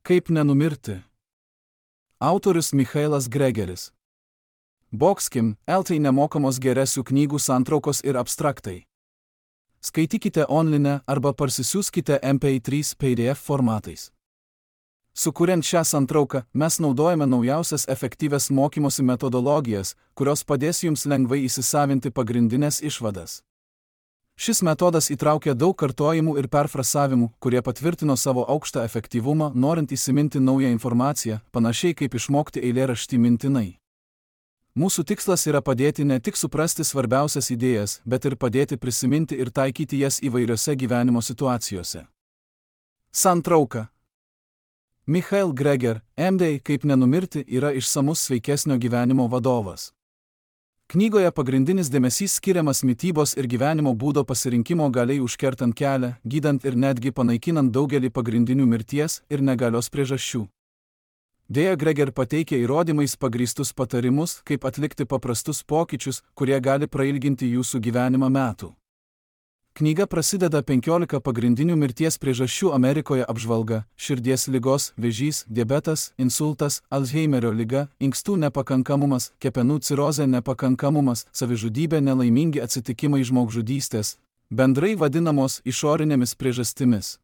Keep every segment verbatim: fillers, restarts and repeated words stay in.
Kaip nenumirti? Autorius Michailas Gregeris. Boxkim, L T nemokamos geresių knygų santraukos ir abstraktai. Skaitykite online arba parsisiųskite M P trys P D F formatais. Sukuriant šią santrauką, mes naudojame naujausias efektyvias mokymosi metodologijas, kurios padės jums lengvai įsisavinti pagrindinės išvadas. Šis metodas įtraukia daug kartojimų ir perfrasavimų, kurie patvirtino savo aukštą efektyvumą, norint įsiminti naują informaciją, panašiai kaip išmokti eilėraštį mintinai. Mūsų tikslas yra padėti ne tik suprasti svarbiausias idėjas, bet ir padėti prisiminti ir taikyti jas įvairiose gyvenimo situacijose. Santrauka. Michael Greger, M D Kaip nenumirti yra išsamus sveikesnio gyvenimo vadovas. Knygoje pagrindinis dėmesys skiriamas mitybos ir gyvenimo būdo pasirinkimo galiai užkertant kelią, gydant ir netgi panaikinant daugelį pagrindinių mirties ir negalios priežasčių. Deja, Greger pateikia įrodymais pagrįstus patarimus, kaip atlikti paprastus pokyčius, kurie gali prailginti jūsų gyvenimą metų. Knyga prasideda penkiolika pagrindinių mirties priežasčių Amerikoje apžvalga – širdies ligos, vėžys, diabetas, insultas, Alzheimerio liga, inkstų nepakankamumas, kepenų cirozė nepakankamumas, savižudybė, nelaimingi atsitikimai, žmogžudystės, bendrai vadinamos išorinėmis priežastimis.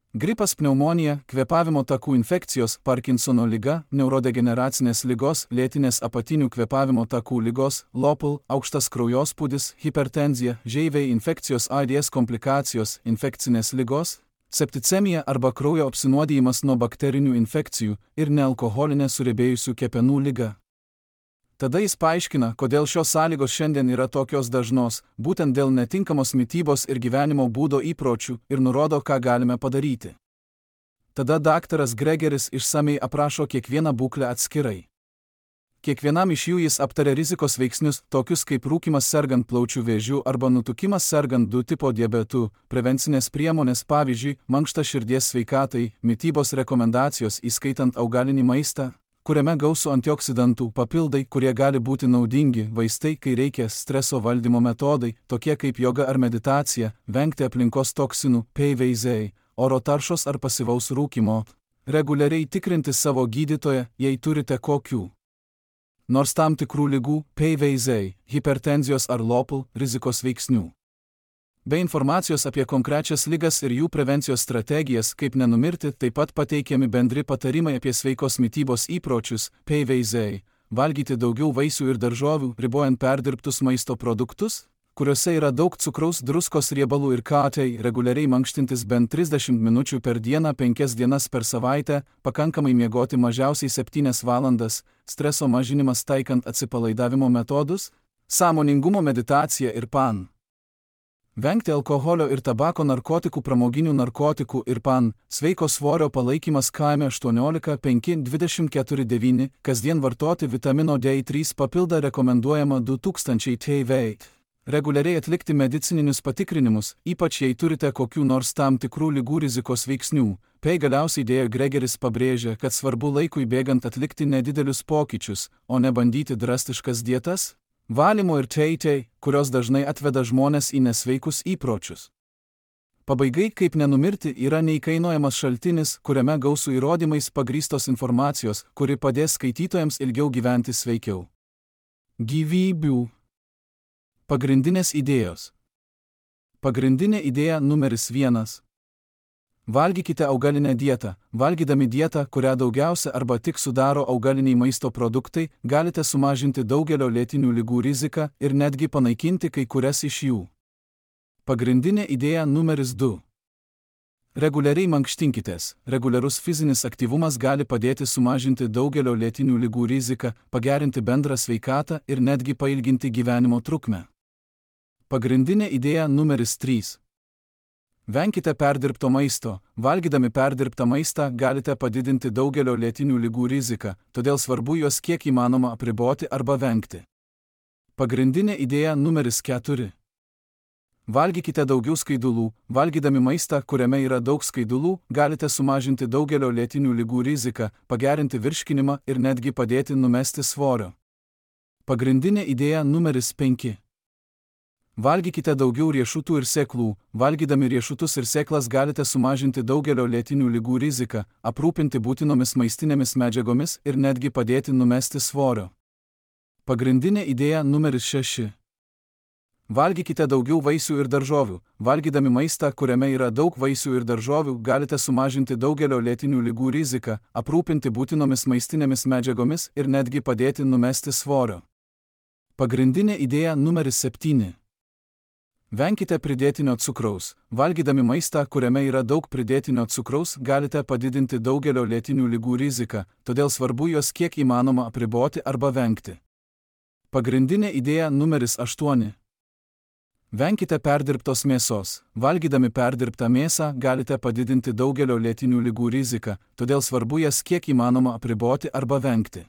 Gripas, pneumonija, kvėpavimo takų infekcijos, Parkinsono liga, neurodegeneracinės ligos, lėtinės apatinių kvėpavimo takų ligos, lopl, aukštas kraujospūdis, hipertenzija, žeiviai infekcijos, AIDS komplikacijos, infekcinės ligos, septicemija arba kraujo apsinuodijimas nuo bakterinių infekcijų ir nealkoholinė suriebėjusių kepenų liga. Tada jis paaiškina, kodėl šios sąlygos šiandien yra tokios dažnos, būtent dėl netinkamos mitybos ir gyvenimo būdo įpročių ir nurodo, ką galime padaryti. Tada daktaras Gregeris išsamei aprašo kiekvieną būklę atskirai. Kiekvienam iš jų jis aptaria rizikos veiksnius, tokius kaip rūkymas sergant plaučių vėžiu arba nutukimas sergant du tipo diabetu, prevencinės priemonės, pavyzdžiui, mankšta širdies sveikatai, mitybos rekomendacijos įskaitant augalinį maistą, kuriame gausu antioksidantų, papildai, kurie gali būti naudingi, vaistai, kai reikia, streso valdymo metodai, tokie kaip joga ar meditacija, vengti aplinkos toksinų, P V Z, oro taršos ar pasyvaus rūkymo, reguliariai tikrinti savo gydytoją, jei turite kokių nors tam tikrų ligų, P V Z, hipertenzijos ar lopl, rizikos veiksnių. Be informacijos apie konkrečias ligas ir jų prevencijos strategijas, kaip nenumirti, taip pat pateikiami bendri patarimai apie sveikos mitybos įpročius, P V Z, valgyti daugiau vaisių ir daržovių, ribojant perdirbtus maisto produktus, kuriuose yra daug cukraus, druskos, riebalų ir katei, reguliariai mankštintis bent trisdešimt minučių per dieną, penkias dienas per savaitę, pakankamai miegoti mažiausiai septynias valandas, streso mažinimas taikant atsipalaidavimo metodus, sąmoningumo meditacija ir P A N. Vengti alkoholio ir tabako, narkotikų, pramoginių narkotikų ir P A N, sveiko svorio palaikymas kaime aštuoniolika penki dvidešimt keturi devyni, kasdien vartoti vitamino D trys papildą rekomenduojama du tūkstančiai T V. Reguliariai atlikti medicininius patikrinimus, ypač jei turite kokių nors tam tikrų ligų rizikos veiksnių. P. Galiausiai dėja Gregeris pabrėžia, kad svarbu laikui bėgant atlikti nedidelius pokyčius, o ne bandyti drastiškas dietas, valymo ir teitei, kurios dažnai atveda žmonės į nesveikus įpročius. Pabaigai, kaip nenumirti, yra neįkainojamas šaltinis, kuriame gausų įrodymais pagrįstos informacijos, kuri padės skaitytojams ilgiau gyventi sveikiau. Gyvybių. Pagrindinės idėjos. Pagrindinė idėja numeris vienas. Valgykite augalinę dietą. Valgydami dietą, kurią daugiausia arba tik sudaro augaliniai maisto produktai, galite sumažinti daugelio lėtinių ligų riziką ir netgi panaikinti kai kurias iš jų. Pagrindinė idėja numeris du. Reguliariai mankštinkitės. Reguliarus fizinis aktyvumas gali padėti sumažinti daugelio lėtinių ligų riziką, pagerinti bendrą sveikatą ir netgi pailginti gyvenimo trukmę. Pagrindinė idėja numeris trys. Venkite perdirbto maisto. Valgydami perdirbtą maistą galite padidinti daugelio lėtinių ligų riziką, todėl svarbu juos kiek įmanoma apriboti arba vengti. Pagrindinė idėja numeris keturi. Valgykite daugiau skaidulų. Valgydami maistą, kuriame yra daug skaidulų, galite sumažinti daugelio lėtinių ligų riziką, pagerinti virškinimą ir netgi padėti numesti svorio. Pagrindinė idėja numeris penki. Valgykite daugiau riešutų ir sėklų. Valgydami riešutus ir sėklas galite sumažinti daugelio lėtinių ligų riziką, aprūpinti būtinomis maistinėmis medžiagomis ir netgi padėti numesti svorio. Pagrindinė idėja numeris šeši. Valgykite daugiau vaisių ir daržovių. Valgydami maistą, kuriame yra daug vaisių ir daržovių, galite sumažinti daugelio lėtinių ligų riziką, aprūpinti būtinomis maistinėmis medžiagomis ir netgi padėti numesti svorio. Pagrindinė idėja numeris septyni. Venkite pridėtinio cukraus. Valgydami maistą, kuriame yra daug pridėtinio cukraus, galite padidinti daugelio lėtinių ligų riziką, todėl svarbu juos kiek įmanoma apriboti arba vengti. Pagrindinė idėja numeris aštuoni. Venkite perdirbtos mėsos. Valgydami perdirbtą mėsą galite padidinti daugelio lėtinių ligų riziką, todėl svarbu jas kiek įmanoma apriboti arba vengti.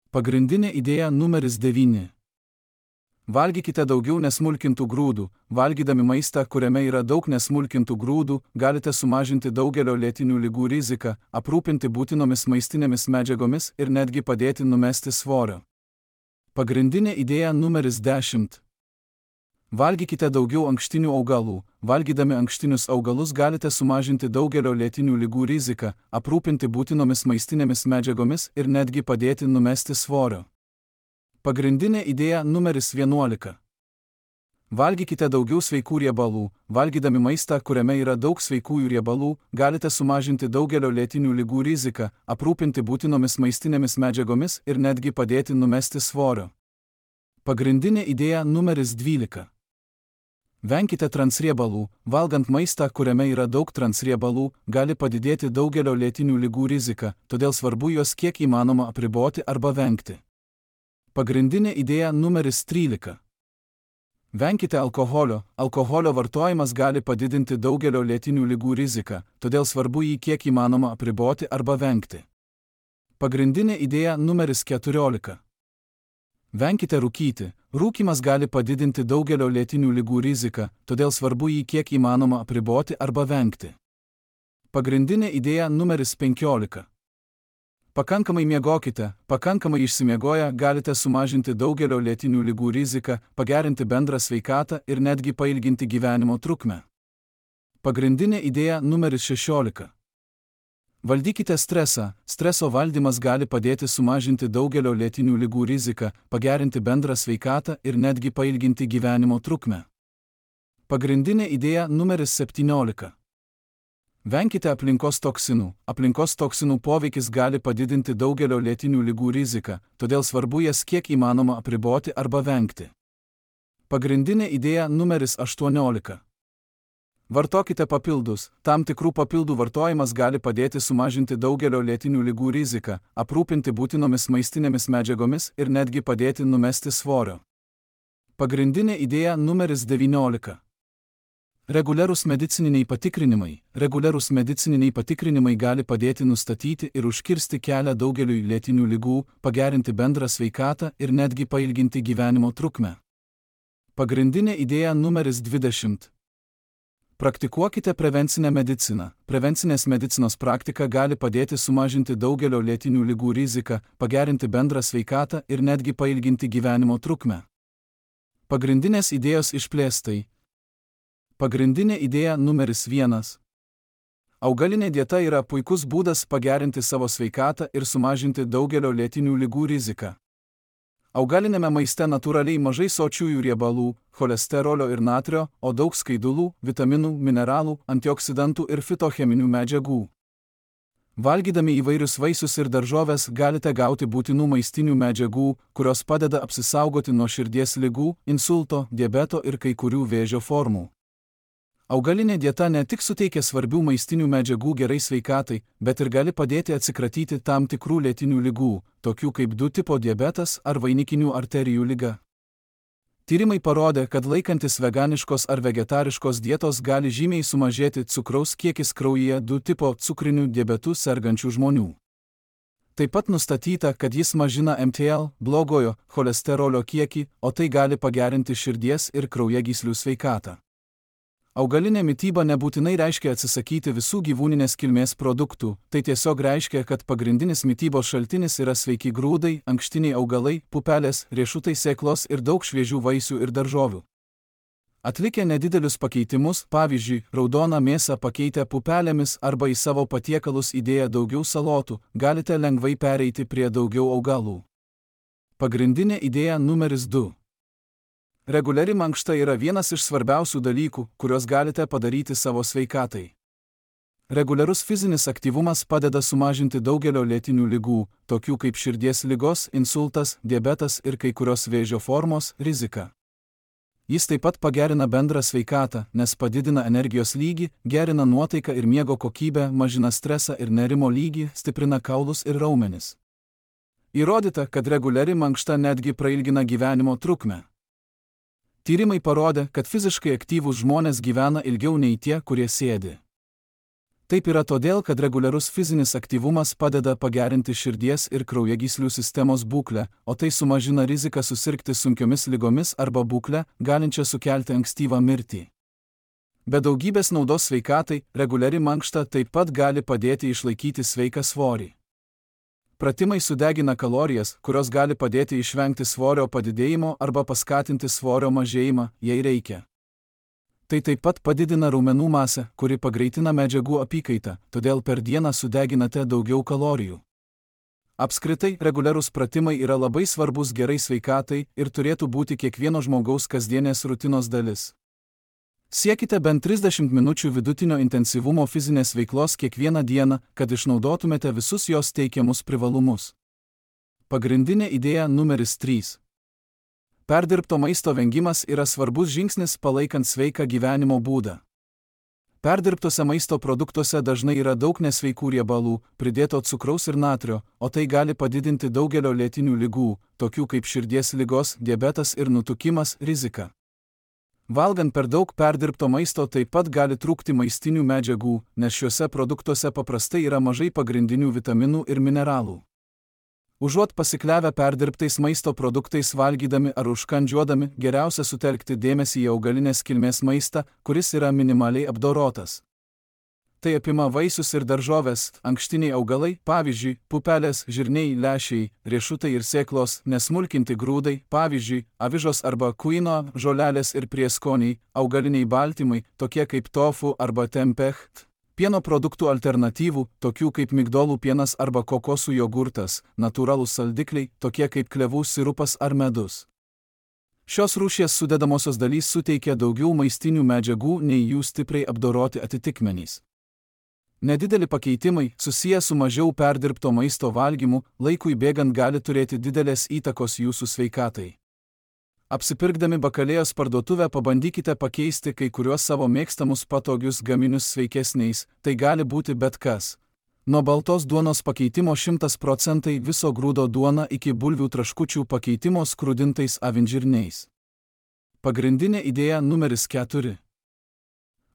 Pagrindinė idėja numeris devyni. Valgykite daugiau nesmulkintų grūdų. Valgydami maistą, kuriame yra daug nesmulkintų grūdų, galite sumažinti daugelio lėtinių ligų riziką, aprūpinti būtinomis maistinėmis medžiagomis ir netgi padėti numesti svorio. Pagrindinė idėja numeris dešimt. Valgykite daugiau ankštinių augalų. Valgydami ankštinius augalus galite sumažinti daugelio lėtinių ligų riziką, aprūpinti būtinomis maistinėmis medžiagomis ir netgi padėti numesti svorio. Pagrindinė idėja numeris vienuolika. Valgykite daugiau sveikų riebalų. Valgydami maistą, kuriame yra daug sveikųjų riebalų, galite sumažinti daugelio lėtinių ligų riziką, aprūpinti būtinomis maistinėmis medžiagomis ir netgi padėti numesti svorio. Pagrindinė idėja numeris dvylika. Venkite transriebalų. Valgant maistą, kuriame yra daug transriebalų, gali padidėti daugelio lėtinių ligų rizika, todėl svarbu juos kiek įmanoma apriboti arba vengti. Pagrindinė idėja numeris trylika. Venkite alkoholio. Alkoholio vartojimas gali padidinti daugelio lėtinių ligų riziką, todėl svarbu jį kiek įmanoma apriboti arba vengti. Pagrindinė idėja numeris keturiolika. Venkite rūkyti. Rūkymas gali padidinti daugelio lėtinių ligų riziką, todėl svarbu jį kiek įmanoma apriboti arba vengti. Pagrindinė idėja numeris penkiolika. Pakankamai miegokite. Pakankamai išsimiegoję galite sumažinti daugelio lėtinių ligų riziką, pagerinti bendrą sveikatą ir netgi pailginti gyvenimo trukmę. Pagrindinė idėja numeris šešiolika. Valdykite stresą. Streso valdymas gali padėti sumažinti daugelio lėtinių ligų riziką, pagerinti bendrą sveikatą ir netgi pailginti gyvenimo trukmę. Pagrindinė idėja numeris septyniolika. Venkite aplinkos toksinų. Aplinkos toksinų poveikis gali padidinti daugelio lėtinių ligų riziką, todėl svarbu jas kiek įmanoma apriboti arba vengti. Pagrindinė idėja numeris aštuoniolika. Vartokite papildus. Tam tikrų papildų vartojimas gali padėti sumažinti daugelio lėtinių ligų riziką, aprūpinti būtinomis maistinėmis medžiagomis ir netgi padėti numesti svorio. Pagrindinė idėja numeris devyniolika. Reguliarūs medicininiai patikrinimai. Reguliarūs medicininiai patikrinimai gali padėti nustatyti ir užkirsti kelią daugeliui lėtinių ligų, pagerinti bendrą sveikatą ir netgi pailginti gyvenimo trukmę. Pagrindinė idėja numeris dvidešimt. Praktikuokite prevencinę mediciną. Prevencinės medicinos praktika gali padėti sumažinti daugelio lėtinių ligų riziką, pagerinti bendrą sveikatą ir netgi pailginti gyvenimo trukmę. Pagrindinės idėjos išplėstai. Pagrindinė idėja numeris vienas. Augalinė dieta yra puikus būdas pagerinti savo sveikatą ir sumažinti daugelio lėtinių ligų riziką. Augalinėme maiste natūraliai mažai sočiųjų riebalų, cholesterolio ir natrio, o daug skaidulų, vitaminų, mineralų, antioksidantų ir fitocheminių medžiagų. Valgydami įvairius vaisius ir daržoves galite gauti būtinų maistinių medžiagų, kurios padeda apsisaugoti nuo širdies ligų, insulto, diabeto ir kai kurių vėžio formų. Augalinė dieta ne tik suteikia svarbių maistinių medžiagų gerai sveikatai, bet ir gali padėti atsikratyti tam tikrų lėtinių ligų, tokių kaip du tipo diabetas ar vainikinių arterijų liga. Tyrimai parodė, kad laikantis veganiškos ar vegetariškos dietos gali žymiai sumažėti cukraus kiekis kraujyje du tipo cukriniu diabetu sergančių žmonių. Taip pat nustatyta, kad jis mažina M T L, blogojo cholesterolio kiekį, o tai gali pagerinti širdies ir kraujagyslių sveikatą. Augalinė mityba nebūtinai reiškia atsisakyti visų gyvūninės kilmės produktų, tai tiesiog reiškia, kad pagrindinis mitybos šaltinis yra sveiki grūdai, ankštiniai augalai, pupelės, riešutai, sėklos ir daug šviežių vaisių ir daržovių. Atlikę nedidelius pakeitimus, pavyzdžiui, raudoną mėsą pakeitę pupelėmis arba į savo patiekalus įdėję daugiau salotų, galite lengvai pereiti prie daugiau augalų. Pagrindinė idėja numeris du. Reguliari mankšta yra vienas iš svarbiausių dalykų, kuriuos galite padaryti savo sveikatai. Reguliarus fizinis aktyvumas padeda sumažinti daugelio lėtinių ligų, tokių kaip širdies ligos, insultas, diabetas ir kai kurios vėžio formos, riziką. Jis taip pat pagerina bendrą sveikatą, nes padidina energijos lygį, gerina nuotaiką ir miego kokybę, mažina stresą ir nerimo lygį, stiprina kaulus ir raumenis. Įrodyta, kad reguliari mankšta netgi prailgina gyvenimo trukmę. Tyrimai parodė, kad fiziškai aktyvūs žmonės gyvena ilgiau nei tie, kurie sėdi. Taip yra todėl, kad reguliarus fizinis aktyvumas padeda pagerinti širdies ir kraujagyslių sistemos būklę, o tai sumažina riziką susirgti sunkiomis ligomis arba būklę, galinčią sukelti ankstyvą mirtį. Be daugybės naudos sveikatai, reguliari mankšta taip pat gali padėti išlaikyti sveiką svorį. Pratimai sudegina kalorijas, kurios gali padėti išvengti svorio padidėjimo arba paskatinti svorio mažėjimą, jei reikia. Tai taip pat padidina raumenų masę, kuri pagreitina medžiagų apykaitą, todėl per dieną sudeginate daugiau kalorijų. Apskritai, reguliarūs pratimai yra labai svarbus gerai sveikatai ir turėtų būti kiekvieno žmogaus kasdienės rutinos dalis. Siekite bent trisdešimt minučių vidutinio intensyvumo fizinės veiklos kiekvieną dieną, kad išnaudotumėte visus jos teikiamus privalumus. Pagrindinė idėja numeris trys. Perdirbto maisto vengimas yra svarbus žingsnis palaikant sveiką gyvenimo būdą. Perdirbtose maisto produktuose dažnai yra daug nesveikų riebalų, pridėto cukraus ir natrio, o tai gali padidinti daugelio lėtinių ligų, tokių kaip širdies ligos, diabetas ir nutukimas, riziką. Valgant per daug perdirbto maisto taip pat gali trūkti maistinių medžiagų, nes šiuose produktuose paprastai yra mažai pagrindinių vitaminų ir mineralų. Užuot pasikliavę perdirbtais maisto produktais valgydami ar užkandžiuodami, geriausia sutelkti dėmesį į augalinės kilmės maistą, kuris yra minimaliai apdorotas. Tai apima vaisius ir daržoves, ankštiniai augalai, pavyzdžiui, pupelės, žirniai, lęšiai, riešutai ir sėklos, nesmulkinti grūdai, pavyzdžiui, avižos arba kuino, žolelės ir prieskoniai, augaliniai baltymai, tokie kaip tofu arba tempeh. Pieno produktų alternatyvų, tokių kaip migdolų pienas arba kokosų jogurtas, natūralūs saldikliai, tokie kaip klevų sirupas ar medus. Šios rūšies sudedamosios dalys suteikia daugiau maistinių medžiagų nei jų stipriai apdoroti atitikmenys. Nedideli pakeitimai, susiję su mažiau perdirbto maisto valgymu, laikui bėgant gali turėti didelės įtakos jūsų sveikatai. Apsipirkdami bakalėjos parduotuvę pabandykite pakeisti kai kuriuos savo mėgstamus patogius gaminius sveikesniais, tai gali būti bet kas. Nuo baltos duonos pakeitimo šimtas procentų viso grūdo duona iki bulvių traškučių pakeitimo skrudintais avinžirniais. Pagrindinė idėja numeris keturi.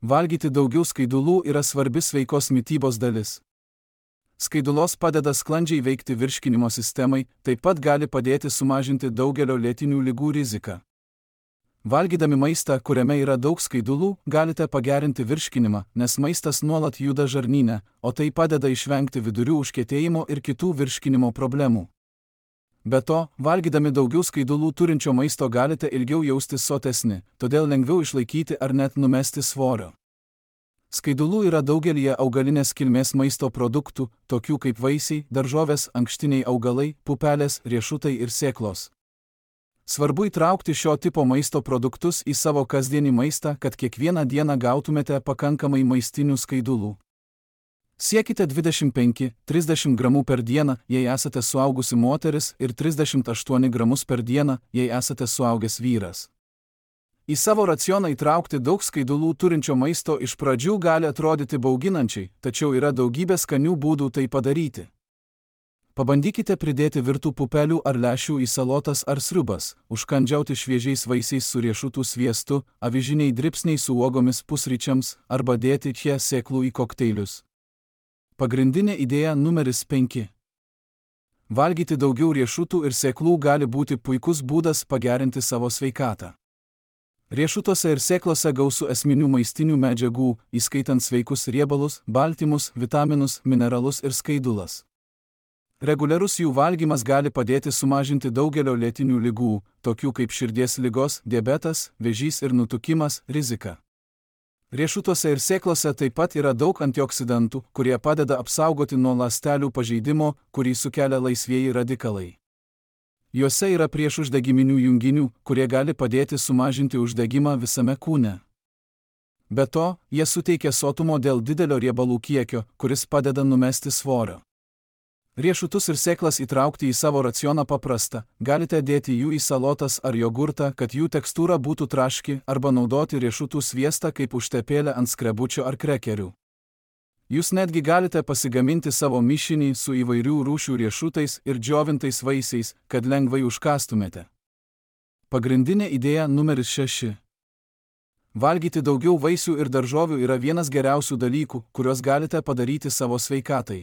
Valgyti daugiau skaidulų yra svarbi sveikos mitybos dalis. Skaidulos padeda sklandžiai veikti virškinimo sistemai, taip pat gali padėti sumažinti daugelio lėtinių ligų riziką. Valgydami maistą, kuriame yra daug skaidulų, galite pagerinti virškinimą, nes maistas nuolat juda žarnyne, o tai padeda išvengti vidurių užkietėjimo ir kitų virškinimo problemų. Be to, valgydami daugiau skaidulų turinčio maisto galite ilgiau jaustis sotesni, todėl lengviau išlaikyti ar net numesti svorio. Skaidulų yra daugelyje augalinės kilmės maisto produktų, tokių kaip vaisiai, daržovės, ankštiniai augalai, pupelės, riešutai ir sėklos. Svarbu įtraukti šio tipo maisto produktus į savo kasdienį maistą, kad kiekvieną dieną gautumėte pakankamai maistinių skaidulų. Siekite dvidešimt penki trisdešimt gramų per dieną, jei esate suaugusi moteris, ir trisdešimt aštuonis gramus per dieną, jei esate suaugęs vyras. Į savo racioną įtraukti daug skaidulų turinčio maisto iš pradžių gali atrodyti bauginančiai, tačiau yra daugybė skanių būdų tai padaryti. Pabandykite pridėti virtų pupelių ar lęšių į salotas ar sriubas, užkandžiauti šviežiais vaisiais su riešutų sviestu, avižiniai dribsniai su uogomis pusryčiams arba dėti čia sėklų į kokteilius. Pagrindinė idėja numeris penki. Valgyti daugiau riešutų ir sėklų gali būti puikus būdas pagerinti savo sveikatą. Riešutuose ir sėklose gausu esminių maistinių medžiagų, įskaitant sveikus riebalus, baltymus, vitaminus, mineralus ir skaidulas. Reguliarus jų valgymas gali padėti sumažinti daugelio lėtinių ligų, tokių kaip širdies ligos, diabetas, vėžys ir nutukimas, riziką. Riešutuose ir sėklose taip pat yra daug antioksidantų, kurie padeda apsaugoti nuo ląstelių pažeidimo, kurį sukelia laisvieji radikalai. Juose yra priešuždegiminių junginių, kurie gali padėti sumažinti uždegimą visame kūne. Be to, jie suteikia sotumo dėl didelio riebalų kiekio, kuris padeda numesti svorio. Riešutus ir sėklas įtraukti į savo racioną paprasta, galite dėti jų į salotas ar jogurtą, kad jų tekstūra būtų traški, arba naudoti riešutų sviestą kaip užtepėlę ant skrebučio ar krekerių. Jūs netgi galite pasigaminti savo mišinį su įvairių rūšių riešutais ir džiovintais vaisiais, kad lengvai užkastumėte. Pagrindinė idėja numeris šeši. Valgyti daugiau vaisių ir daržovių yra vienas geriausių dalykų, kuriuos galite padaryti savo sveikatai.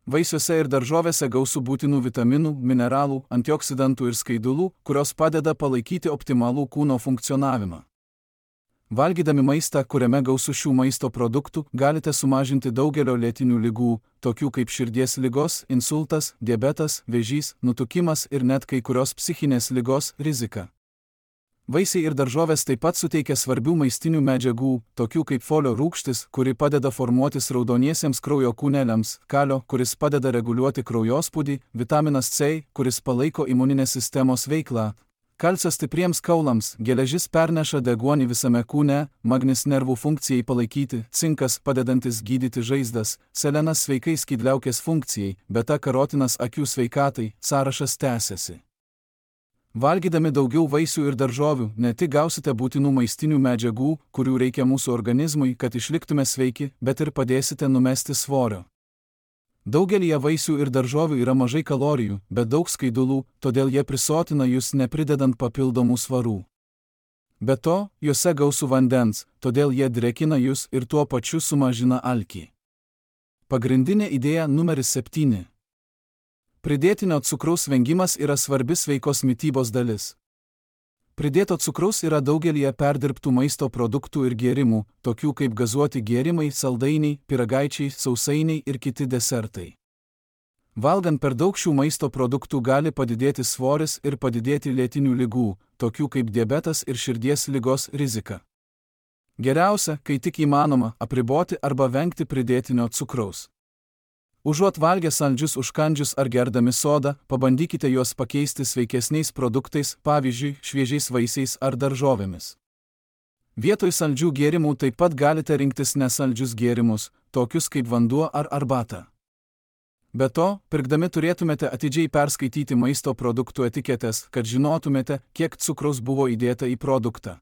Vaisiuose ir daržovėse gausu būtinų vitaminų, mineralų, antioksidantų ir skaidulų, kurios padeda palaikyti optimalų kūno funkcionavimą. Valgydami maistą, kuriame gausu šių maisto produktų, galite sumažinti daugelio lėtinių ligų, tokių kaip širdies ligos, insultas, diabetas, vėžys, nutukimas ir net kai kurios psichinės ligos riziką. Vaisiai ir daržovės taip pat suteikia svarbių maistinių medžiagų, tokių kaip folio rūgštis, kuri padeda formuotis raudoniesiems kraujo kūneliams, kalio, kuris padeda reguliuoti kraujospūdį, vitaminas C, kuris palaiko imuninės sistemos veiklą, kalcio stipriems kaulams, geležis perneša deguonį visame kūne, magnis nervų funkcijai palaikyti, cinkas padedantis gydyti žaizdas, selenas sveikai skydliaukės funkcijai, beta karotinas akių sveikatai, sąrašas tęsiasi. Valgydami daugiau vaisių ir daržovių, ne tik gausite būtinų maistinių medžiagų, kurių reikia mūsų organizmui, kad išliktume sveiki, bet ir padėsite numesti svorio. Daugelyje vaisių ir daržovių yra mažai kalorijų, bet daug skaidulų, todėl jie prisotina jūs nepridedant papildomų svarų. Be to, juose gausu vandens, todėl jie drėkina jūs ir tuo pačiu sumažina alkį. Pagrindinė idėja numeris septyni. Pridėtinio cukraus vengimas yra svarbi sveikos mitybos dalis. Pridėto cukraus yra daugelyje perdirbtų maisto produktų ir gėrimų, tokių kaip gazuoti gėrimai, saldainiai, pyragaičiai, sausainiai ir kiti desertai. Valgant per daug šių maisto produktų gali padidėti svoris ir padidėti lėtinių ligų, tokių kaip diabetas ir širdies ligos rizika. Geriausia, kai tik įmanoma, apriboti arba vengti pridėtinio cukraus. Užuot valgę saldžius užkandžius ar gerdami sodą, pabandykite juos pakeisti sveikesniais produktais, pavyzdžiui, šviežiais vaisiais ar daržovėmis. Vietoj saldžių gėrimų taip pat galite rinktis nesaldžius gėrimus, tokius kaip vanduo ar arbata. Be to, pirkdami turėtumėte atidžiai perskaityti maisto produktų etiketes, kad žinotumėte, kiek cukraus buvo įdėta į produktą.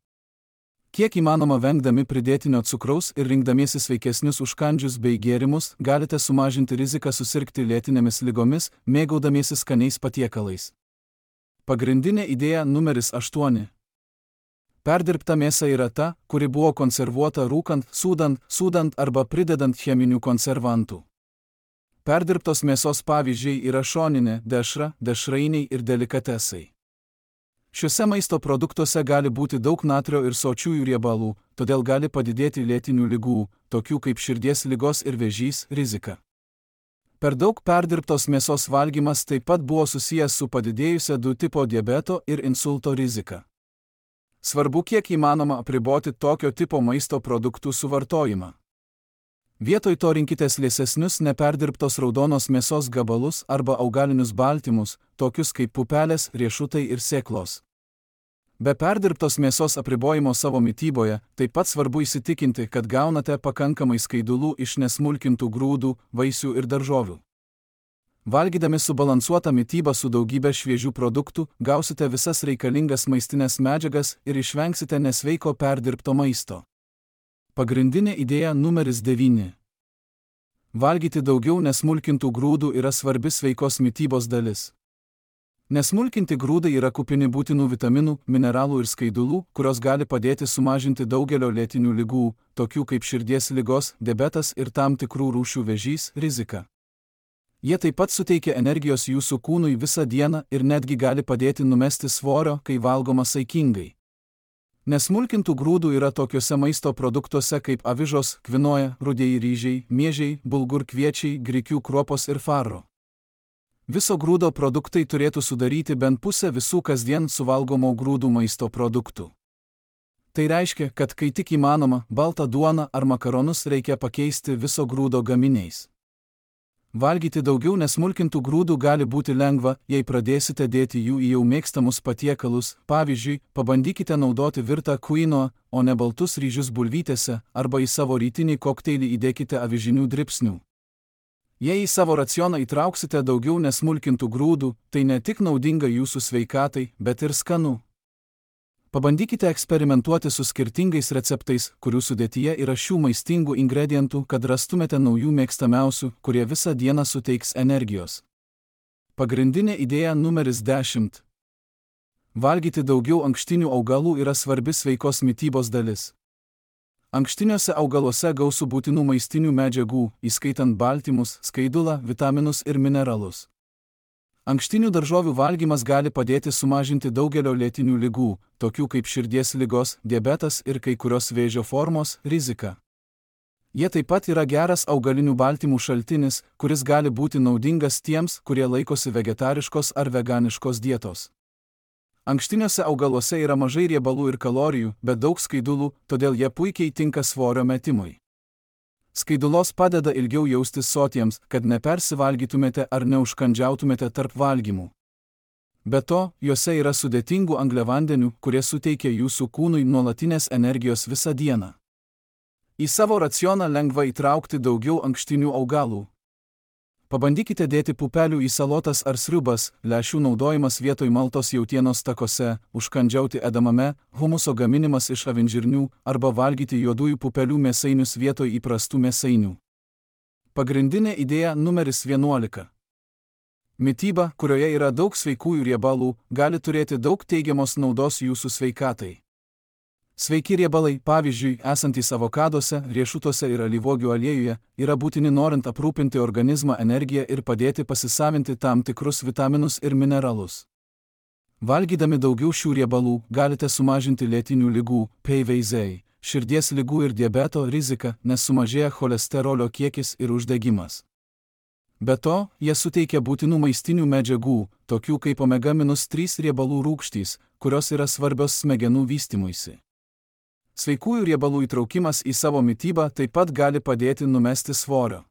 Kiek įmanoma vengdami pridėtinio cukraus ir rinkdamiesi sveikesnius užkandžius bei gėrimus, galite sumažinti riziką susirgti lėtinėmis ligomis, mėgaudamiesi skaniais patiekalais. Pagrindinė idėja numeris aštuoni. Perdirbta mėsa yra ta, kuri buvo konservuota rūkant, sūdant, sūdant arba pridedant cheminių konservantų. Perdirbtos mėsos pavyzdžiai yra šoninė, dešra, dešrainiai ir delikatesai. Šiuose maisto produktuose gali būti daug natrio ir sočiųjų riebalų, todėl gali padidėti lėtinių ligų, tokių kaip širdies ligos ir vėžys, rizika. Per daug perdirbtos mėsos valgymas taip pat buvo susijęs su padidėjusia du tipo diabeto ir insulto rizika. Svarbu kiek įmanoma apriboti tokio tipo maisto produktų suvartojimą. Vietoj to rinkitės liesesnius neperdirbtos raudonos mėsos gabalus arba augalinius baltymus, tokius kaip pupelės, riešutai ir sėklos. Be perdirbtos mėsos apribojimo savo mityboje, taip pat svarbu įsitikinti, kad gaunate pakankamai skaidulų iš nesmulkintų grūdų, vaisių ir daržovių. Valgydami subalansuotą mitybą su daugybė šviežių produktų, gausite visas reikalingas maistinės medžiagas ir išvengsite nesveiko perdirbto maisto. Pagrindinė idėja numeris devyni. Valgyti daugiau nesmulkintų grūdų yra svarbi sveikos mitybos dalis. Nesmulkinti grūdai yra kupini būtinų vitaminų, mineralų ir skaidulų, kurios gali padėti sumažinti daugelio lėtinių ligų, tokių kaip širdies ligos, diabetas ir tam tikrų rūšių vėžys, riziką. Jie taip pat suteikia energijos jūsų kūnui visą dieną ir netgi gali padėti numesti svorio, kai valgoma saikingai. Nesmulkintų grūdų yra tokiuose maisto produktuose kaip avižos, kvinoja, rudieji ryžiai, miežiai, bulgur kviečiai, grikių kruopos ir faro. Viso grūdo produktai turėtų sudaryti bent pusę visų kasdien suvalgomo grūdų maisto produktų. Tai reiškia, kad kai tik įmanoma, baltą duoną ar makaronus reikia pakeisti viso grūdo gaminiais. Valgyti daugiau nesmulkintų grūdų gali būti lengva, jei pradėsite dėti jų į jau mėgstamus patiekalus, pavyzdžiui, pabandykite naudoti virtą kvinoą, o ne baltus ryžius bulvytėse, arba į savo rytinį kokteilį įdėkite avižinių dribsnių. Jei į savo racioną įtrauksite daugiau nesmulkintų grūdų, tai ne tik naudinga jūsų sveikatai, bet ir skanu. Pabandykite eksperimentuoti su skirtingais receptais, kurių sudėtyje yra šių maistingų ingredientų, kad rastumėte naujų mėgstamiausių, kurie visą dieną suteiks energijos. Pagrindinė idėja numeris dešimt. Valgyti daugiau ankštinių augalų yra svarbi sveikos mitybos dalis. Ankštiniuose augaluose gausu būtinų maistinių medžiagų, įskaitant baltymus, skaidulą, vitaminus ir mineralus. Ankštinių daržovių valgymas gali padėti sumažinti daugelio lėtinių ligų, tokių kaip širdies ligos, diabetas ir kai kurios vėžio formos, riziką. Jie taip pat yra geras augalinių baltymų šaltinis, kuris gali būti naudingas tiems, kurie laikosi vegetariškos ar veganiškos dietos. Ankštiniuose augaluose yra mažai riebalų ir kalorijų, bet daug skaidulų, todėl jie puikiai tinka svorio metimui. Skaidulos padeda ilgiau jaustis sotiems, kad nepersivalgytumėte ar neužkandžiautumėte tarp valgymų. Be to, juose yra sudėtingų angliavandenių, kurie suteikia jūsų kūnui nuolatinės energijos visą dieną. Į savo racioną lengva įtraukti daugiau ankštinių augalų. Pabandykite dėti pupelių į salotas ar sriubas, lęšių naudojimas vietoj maltos jautienos takose, užkandžiauti edamame, humuso gaminimas iš avinžirnių arba valgyti juodųjų pupelių mėsainius vietoj įprastų mėsainių. Pagrindinė idėja numeris vienuolika. Mityba, kurioje yra daug sveikųjų riebalų, gali turėti daug teigiamos naudos jūsų sveikatai. Sveiki riebalai, pavyzdžiui, esantys avokaduose, riešutuose ir alyvuogių aliejuje, yra būtini norint aprūpinti organizmą energiją ir padėti pasisavinti tam tikrus vitaminus ir mineralus. Valgydami daugiau šių riebalų, galite sumažinti lėtinių ligų, P V Z, širdies ligų ir diabeto riziką, nes sumažėja cholesterolio kiekis ir uždegimas. Be to, jie suteikia būtinų maistinių medžiagų, tokių kaip omega trys riebalų rūgštys, kurios yra svarbios smegenų vystymuisi. Sveikųjų riebalų įtraukimas į savo mitybą taip pat gali padėti numesti svorio.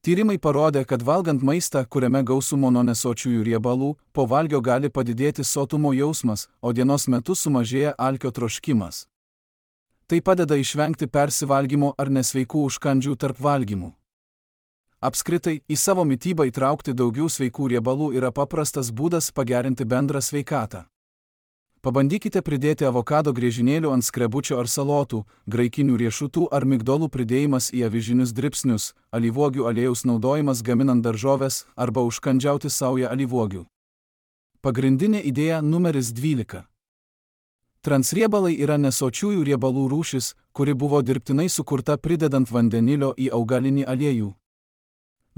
Tyrimai parodė, kad valgant maistą, kuriame gausu mononesočiųjų riebalų, po valgio gali padidėti sotumo jausmas, o dienos metu sumažėja alkio troškimas. Tai padeda išvengti persivalgymo ar nesveikų užkandžių tarp valgymų. Apskritai, į savo mitybą įtraukti daugiau sveikų riebalų yra paprastas būdas pagerinti bendrą sveikatą. Pabandykite pridėti avokado griežinėlių ant skrebučio ar salotų, graikinių riešutų ar migdolų pridėjimas į avižinius dribsnius, alyvuogių aliejaus naudojimas gaminant daržoves arba užkandžiauti saują alyvuogių. Pagrindinė idėja numeris dvylika. Transriebalai yra nesočiųjų riebalų rūšis, kuri buvo dirbtinai sukurta pridedant vandenilio į augalinį aliejų.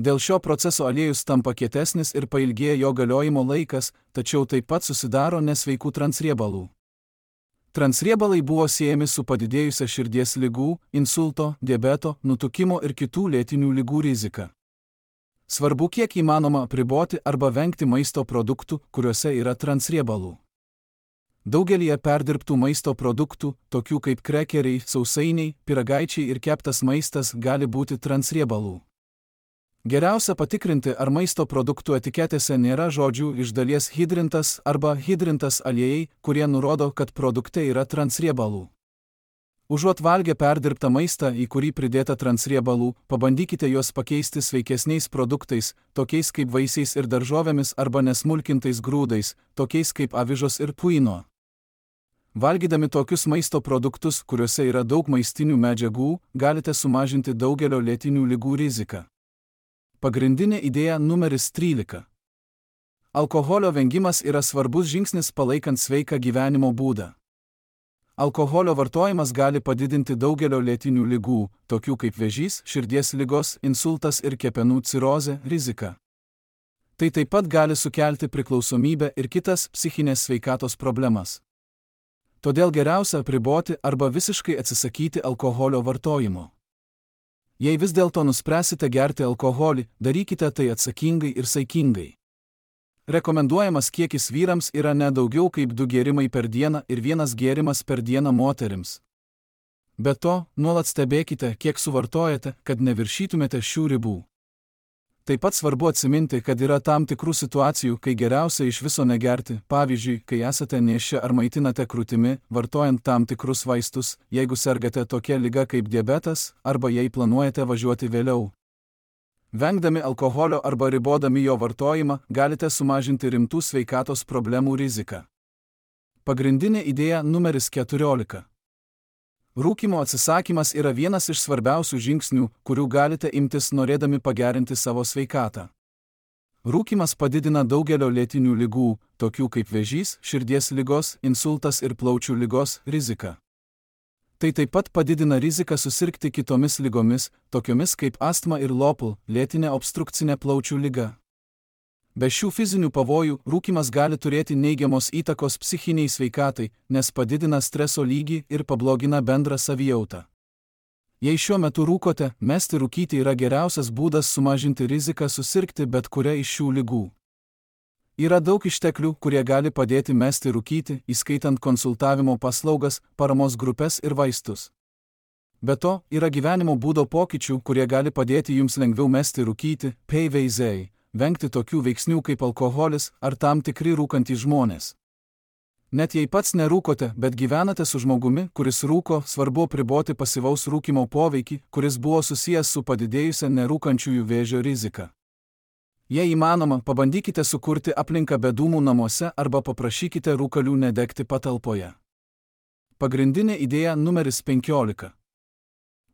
Dėl šio proceso aliejus tampa kietesnis ir pailgėja jo galiojimo laikas, tačiau taip pat susidaro nesveikų transriebalų. Transriebalai buvo siejami su padidėjusia širdies ligų, insulto, diabeto, nutukimo ir kitų lėtinių ligų rizika. Svarbu kiek įmanoma apriboti arba vengti maisto produktų, kuriuose yra transriebalų. Daugelyje perdirbtų maisto produktų, tokių kaip krekeriai, sausainiai, pyragaičiai ir keptas maistas gali būti transriebalų. Geriausia patikrinti, ar maisto produktų etiketėse nėra žodžių iš dalies hidrintas arba hidrintas aliejai, kurie nurodo, kad produkte yra transriebalų. Užuot valgę perdirbtą maistą, į kurį pridėta transriebalų, pabandykite juos pakeisti sveikesniais produktais, tokiais kaip vaisiais ir daržovėmis arba nesmulkintais grūdais, tokiais kaip avižos ir kvinoa. Valgydami tokius maisto produktus, kuriuose yra daug maistinių medžiagų, galite sumažinti daugelio lėtinių ligų riziką. Pagrindinė idėja numeris trylika. Alkoholio vengimas yra svarbus žingsnis palaikant sveiką gyvenimo būdą. Alkoholio vartojimas gali padidinti daugelio lėtinių ligų, tokių kaip vėžys, širdies ligos, insultas ir kepenų cirozė, riziką. Tai taip pat gali sukelti priklausomybę ir kitas psichinės sveikatos problemas. Todėl geriausia apriboti arba visiškai atsisakyti alkoholio vartojimo. Jei vis dėlto nuspręsite gerti alkoholį, darykite tai atsakingai ir saikingai. Rekomenduojamas kiekis vyrams yra ne daugiau kaip du gėrimai per dieną ir vienas gėrimas per dieną moterims. Be to, nuolat stebėkite, kiek suvartojate, kad neviršytumėte šių ribų. Taip pat svarbu atsiminti, kad yra tam tikrų situacijų, kai geriausia iš viso negerti, pavyzdžiui, kai esate nėščia ar maitinate krūtimi, vartojant tam tikrus vaistus, jeigu sergate tokia liga kaip diabetas, arba jei planuojate važiuoti vėliau. Vengdami alkoholio arba ribodami jo vartojimą, galite sumažinti rimtų sveikatos problemų riziką. Pagrindinė idėja numeris keturiolika. Rūkymo atsisakymas yra vienas iš svarbiausių žingsnių, kurių galite imtis norėdami pagerinti savo sveikatą. Rūkymas padidina daugelio lėtinių ligų, tokių kaip vėžys, širdies ligos, insultas ir plaučių ligos, riziką. Tai taip pat padidina riziką susirgti kitomis ligomis, tokiomis kaip astma ir lopl, lėtinė obstrukcinė plaučių liga. Be šių fizinių pavojų, rūkymas gali turėti neigiamos įtakos psichiniai sveikatai, nes padidina streso lygį ir pablogina bendrą savijautą. Jei šiuo metu rūkote, mesti rūkyti yra geriausias būdas sumažinti riziką susirgti bet kurią iš šių ligų. Yra daug išteklių, kurie gali padėti mesti rūkyti, įskaitant konsultavimo paslaugas, paramos grupes ir vaistus. Be to, yra gyvenimo būdo pokyčių, kurie gali padėti jums lengviau mesti rūkyti, P V Z. Vengti tokių veiksnių kaip alkoholis ar tam tikri rūkantys žmonės. Net jei pats nerūkote, bet gyvenate su žmogumi, kuris rūko, svarbu apriboti pasyvaus rūkymo poveikį, kuris buvo susijęs su padidėjusia nerūkančiųjų vėžio rizika. Jei įmanoma, pabandykite sukurti aplinką be dūmų namuose arba paprašykite rūkalių nedegti patalpoje. Pagrindinė idėja numeris penkiolika.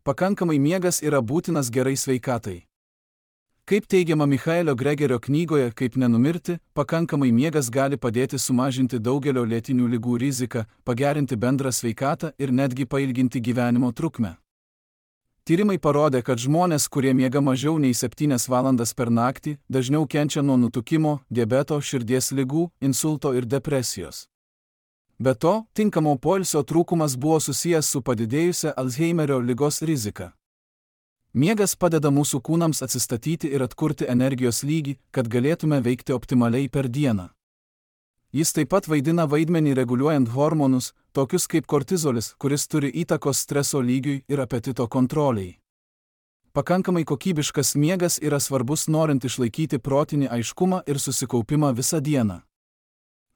Pakankamai miegas yra būtinas gerai sveikatai. Kaip teigiama Michaelio Gregerio knygoje Kaip nenumirti, pakankamai miegas gali padėti sumažinti daugelio lėtinių ligų riziką, pagerinti bendrą sveikatą ir netgi pailginti gyvenimo trukmę. Tyrimai parodė, kad žmonės, kurie miega mažiau nei septynias valandas per naktį, dažniau kenčia nuo nutukimo, diabeto, širdies ligų, insulto ir depresijos. Be to, tinkamo poilsio trūkumas buvo susijęs su padidėjusia Alzheimerio ligos rizika. Miegas padeda mūsų kūnams atsistatyti ir atkurti energijos lygį, kad galėtume veikti optimaliai per dieną. Jis taip pat vaidina vaidmenį reguliuojant hormonus, tokius kaip kortizolis, kuris turi įtakos streso lygiui ir apetito kontroliai. Pakankamai kokybiškas miegas yra svarbus norint išlaikyti protinį aiškumą ir susikaupimą visą dieną.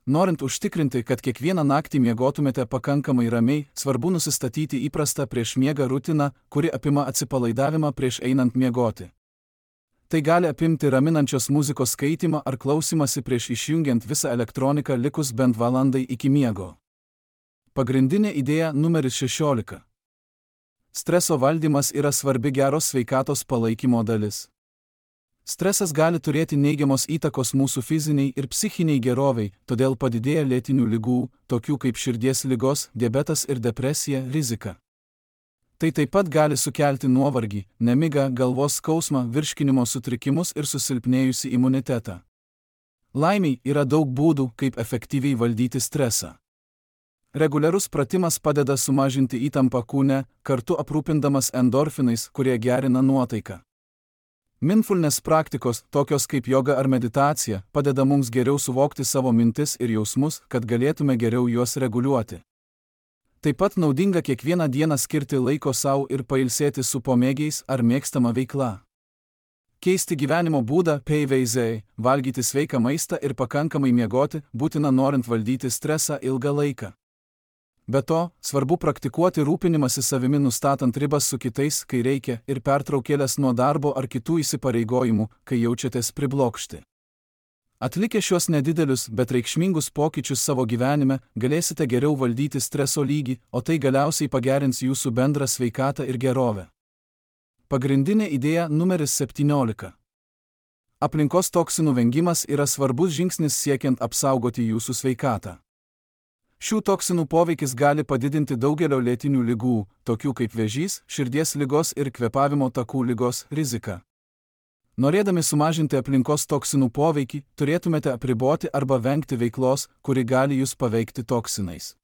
Norint užtikrinti, kad kiekvieną naktį miegotumėte pakankamai ramiai, svarbu nusistatyti įprastą prieš miegą rutiną, kuri apima atsipalaidavimą prieš einant miegoti. Tai gali apimti raminančios muzikos skaitymą ar klausimąsi prieš išjungiant visą elektroniką likus bent valandai iki miego. Pagrindinė idėja numeris šešiolika. Streso valdymas yra svarbi geros sveikatos palaikymo dalis. Stresas gali turėti neigiamos įtakos mūsų fiziniai ir psichiniai geroviai, todėl padidėja lėtinių ligų, tokių kaip širdies ligos, diabetas ir depresija, rizika. Tai taip pat gali sukelti nuovargį, nemigą, galvos skausmą, virškinimo sutrikimus ir susilpnėjusį imunitetą. Laimiai yra daug būdų, kaip efektyviai valdyti stresą. Reguliarus pratimas padeda sumažinti įtampą kūne, kartu aprūpindamas endorfinais, kurie gerina nuotaiką. Mindfulness praktikos, tokios kaip joga ar meditacija, padeda mums geriau suvokti savo mintis ir jausmus, kad galėtume geriau juos reguliuoti. Taip pat naudinga kiekvieną dieną skirti laiko savo ir pailsėti su pomėgiais ar mėgstama veikla. Keisti gyvenimo būdą, P V Z, valgyti sveiką maistą ir pakankamai miegoti, būtina norint valdyti stresą ilgą laiką. Be to, svarbu praktikuoti rūpinimąsi savimi nustatant ribas su kitais, kai reikia, ir pertraukėlės nuo darbo ar kitų įsipareigojimų, kai jaučiatės priblokšti. Atlikę šios nedidelius, bet reikšmingus pokyčius savo gyvenime, galėsite geriau valdyti streso lygį, o tai galiausiai pagerins jūsų bendrą sveikatą ir gerovę. Pagrindinė idėja numeris septyniolika. Aplinkos toksinų vengimas yra svarbus žingsnis siekiant apsaugoti jūsų sveikatą. Šių toksinų poveikis gali padidinti daugelio lėtinių ligų, tokių kaip vėžys, širdies ligos ir kvėpavimo takų ligos, riziką. Norėdami sumažinti aplinkos toksinų poveikį, turėtumėte apriboti arba vengti veiklos, kuri gali jūs paveikti toksinais.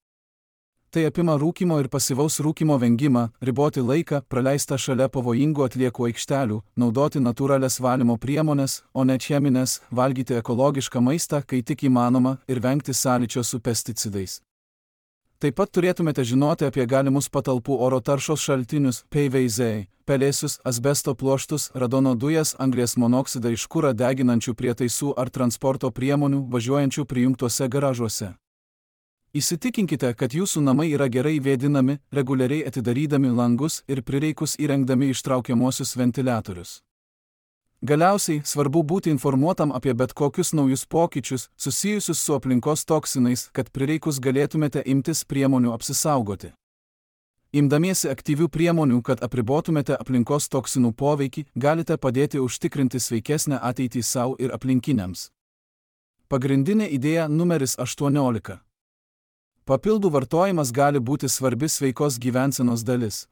Tai apima rūkymo ir pasyvaus rūkymo vengimą, riboti laiką, praleistą šalia pavojingų atliekų aikštelių, naudoti natūralias valymo priemones, o ne cheminės, valgyti ekologišką maistą, kai tik įmanoma, ir vengti sąlyčio su pesticidais. Taip pat turėtumėte žinoti apie galimus patalpų oro taršos šaltinius, P V C, pelėsius, asbesto pluoštus, radono dujas, anglies monoksidą iš kurą deginančių prietaisų ar transporto priemonių važiuojančių prijungtuose garažuose. Įsitikinkite, kad jūsų namai yra gerai vėdinami, reguliariai atidarydami langus ir prireikus įrengdami ištraukiamuosius ventiliatorius. Galiausiai, svarbu būti informuotam apie bet kokius naujus pokyčius, susijusius su aplinkos toksinais, kad prireikus galėtumėte imtis priemonių apsisaugoti. Imdamiesi aktyvių priemonių, kad apribotumėte aplinkos toksinų poveikį, galite padėti užtikrinti sveikesnę ateitį sau ir aplinkiniams. Pagrindinė idėja numeris aštuoniolika. Papildų vartojimas gali būti svarbi sveikos gyvensenos dalis.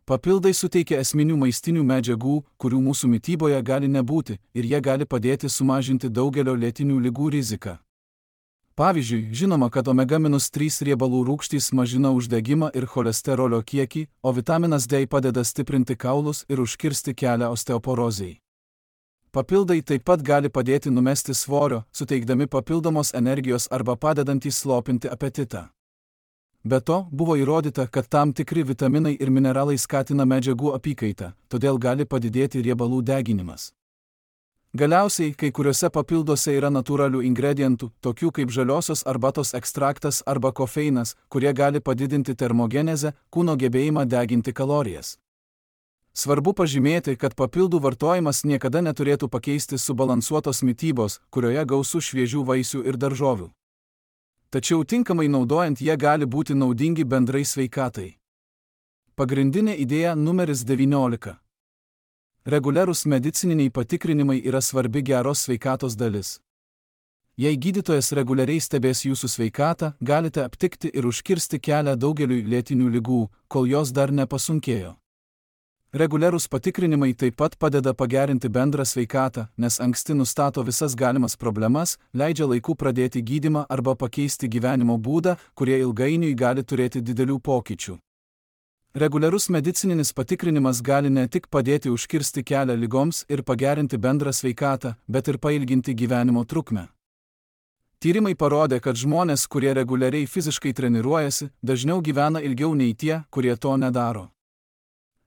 Papildai suteikia esminių maistinių medžiagų, kurių mūsų mityboje gali nebūti, ir jie gali padėti sumažinti daugelio lėtinių ligų riziką. Pavyzdžiui, žinoma, kad omega trys riebalų rūgštys mažina uždegimą ir cholesterolio kiekį, o vitaminas D padeda stiprinti kaulus ir užkirsti kelią osteoporozei. Papildai taip pat gali padėti numesti svorio, suteikdami papildomos energijos arba padedantys slopinti apetitą. Be to, buvo įrodyta, kad tam tikri vitaminai ir mineralai skatina medžiagų apykaitą, todėl gali padidėti riebalų deginimas. Galiausiai, kai kuriuose papilduose yra natūralių ingredientų, tokių kaip žaliosios arbatos ekstraktas arba kofeinas, kurie gali padidinti termogenezę, kūno gebėjimą deginti kalorijas. Svarbu pažymėti, kad papildų vartojimas niekada neturėtų pakeisti subalansuotos mitybos, kurioje gausu šviežių vaisių ir daržovių. Tačiau tinkamai naudojant jie gali būti naudingi bendrai sveikatai. Pagrindinė idėja numeris devyniolika. Reguliarūs medicininiai patikrinimai yra svarbi geros sveikatos dalis. Jei gydytojas reguliariai stebės jūsų sveikatą, galite aptikti ir užkirsti kelią daugeliui lėtinių ligų, kol jos dar nepasunkėjo. Reguliarūs patikrinimai taip pat padeda pagerinti bendrą sveikatą, nes anksti nustato visas galimas problemas, leidžia laiku pradėti gydymą arba pakeisti gyvenimo būdą, kurie ilgainiui gali turėti didelių pokyčių. Reguliarus medicininis patikrinimas gali ne tik padėti užkirsti kelią ligoms ir pagerinti bendrą sveikatą, bet ir pailginti gyvenimo trukmę. Tyrimai parodė, kad žmonės, kurie reguliariai fiziškai treniruojasi, dažniau gyvena ilgiau nei tie, kurie to nedaro.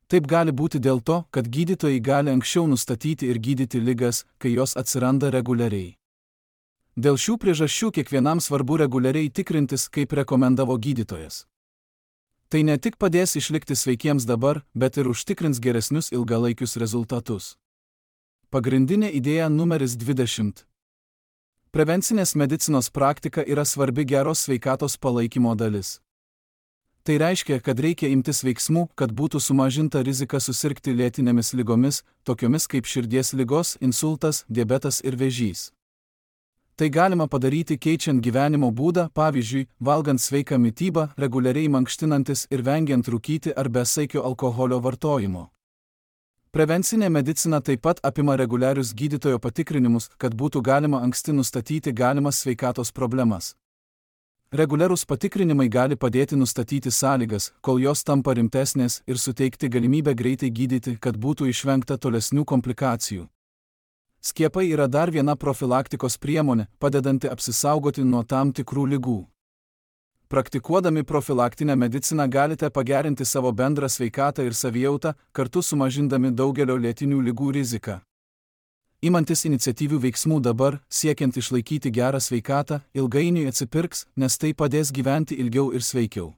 Taip gali būti dėl to, kad gydytojai gali anksčiau nustatyti ir gydyti ligas, kai jos atsiranda reguliariai. Dėl šių priežasčių kiekvienam svarbu reguliariai tikrintis, kaip rekomendavo gydytojas. Tai ne tik padės išlikti sveikiems dabar, bet ir užtikrins geresnius ilgalaikius rezultatus. Pagrindinė idėja numeris dvidešimt. Prevencinės medicinos praktika yra svarbi geros sveikatos palaikymo dalis. Tai reiškia, kad reikia imtis veiksmų, kad būtų sumažinta rizika susirgti lėtinėmis ligomis, tokiomis kaip širdies ligos, insultas, diabetas ir vėžys. Tai galima padaryti keičiant gyvenimo būdą, pavyzdžiui, valgant sveiką mitybą, reguliariai mankštinantis ir vengiant rūkyti ar besaikio alkoholio vartojimo. Prevencinė medicina taip pat apima reguliarius gydytojo patikrinimus, kad būtų galima anksti nustatyti galimas sveikatos problemas. Reguliarūs patikrinimai gali padėti nustatyti sąlygas, kol jos tampa rimtesnės ir suteikti galimybę greitai gydyti, kad būtų išvengta tolesnių komplikacijų. Skiepai yra dar viena profilaktikos priemonė, padedanti apsisaugoti nuo tam tikrų ligų. Praktikuodami profilaktinę mediciną galite pagerinti savo bendrą sveikatą ir savijautą, kartu sumažindami daugelio lėtinių ligų riziką. Imantis iniciatyvių veiksmų dabar, siekiant išlaikyti gerą sveikatą, ilgainiui atsipirks, nes tai padės gyventi ilgiau ir sveikiau.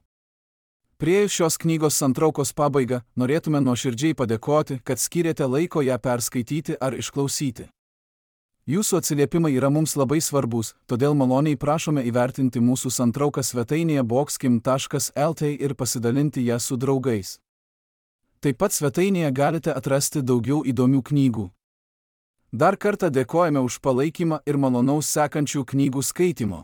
Priėjus šios knygos santraukos pabaigą, norėtume nuoširdžiai padėkoti, kad skyrėte laiko ją perskaityti ar išklausyti. Jūsų atsiliepimai yra mums labai svarbus, todėl maloniai prašome įvertinti mūsų santrauką svetainėje boxkim taškas lt ir pasidalinti ją su draugais. Taip pat svetainėje galite atrasti daugiau įdomių knygų. Dar kartą dėkojame už palaikymą ir malonaus sekančių knygų skaitimo.